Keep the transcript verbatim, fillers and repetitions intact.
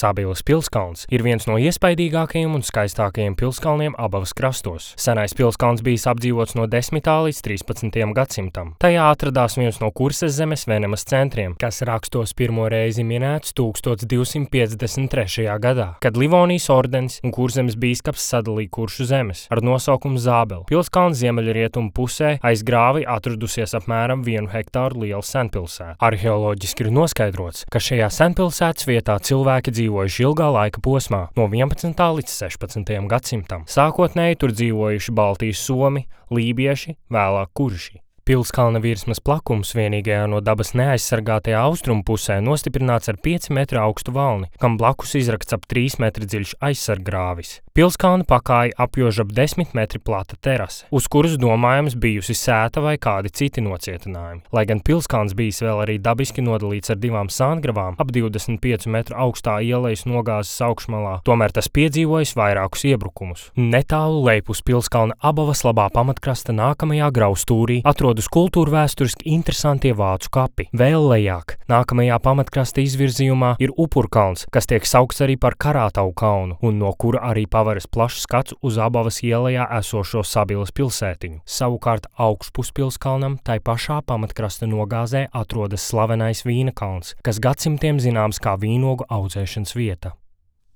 Sabilas pilskalns ir viens no iespaidīgākajiem un skaistākajiem pilskalniem Abavas krastos. Senais pilskalns bijis apdzīvots no desmitā līdz trīspadsmitajam gadsimtam. Tajā atradās viens no Kuršzemes venemas centriem, kas rakstos pirmo reizi minēts tūkstoš divsimt piecdesmit trešajā gadā, kad Livonijas ordenis un Kurzemes bīskaps sadalīja Kuršu zemes ar nosaukumu Zābeli. Pilskalns ziemeļrietumu pusē aiz grāvi atradusies apmēram vienu hektāru liela senpilsēta. Arheoloģiski ir noskaidrots, ka šajā senpilsētas vietā cilvēki dzīvojuši ilgā laika posmā, no vienpadsmitā līdz sešpadsmitajam gadsimtam. Sākotnēji tur dzīvojuši Baltijas somi, lībieši, vēlāk kurši. Pilskalna virsmas plakums vienīgajā no dabas neaizsargātajā austrumu pusē nostiprināts ar pieci metru augstu valni, kam blakus izrakts ap trīs metri dziļš aizsarggrāvis. Pilskalna pakāja apjož ap desmit metri plata terase, uz kuras domājams bijusi sēta vai kādi citi nocietinājumi. Lai gan pilskalns bijis vēl arī dabiski nodalīts ar divām sāngravām, ap divdesmit piecu metru augstā ielejas nogāzes augšmalā, tomēr tas piedzīvojis vairākus iebrukumus. Netālu lejpus pilskalna Abavas labā pamatkrasta nākamajā graustūrī atrodas kultūra vēsturiski interesantie vācu kapi. Vēl lejāk, nākamajā pamatkrasta izvirzījumā ir Upurkalns, kas tiek saukts arī par Karātavu kalnu, un no kura arī pavaras plašs skats uz Abavas ielejā esošo Sabilas pilsētiņu. Savukārt augšpus pilskalnam tai pašā pamatkrasta nogāzē atrodas slavenais Vīna kalns, kas gadsimtiem zināms kā vīnogu audzēšanas vieta.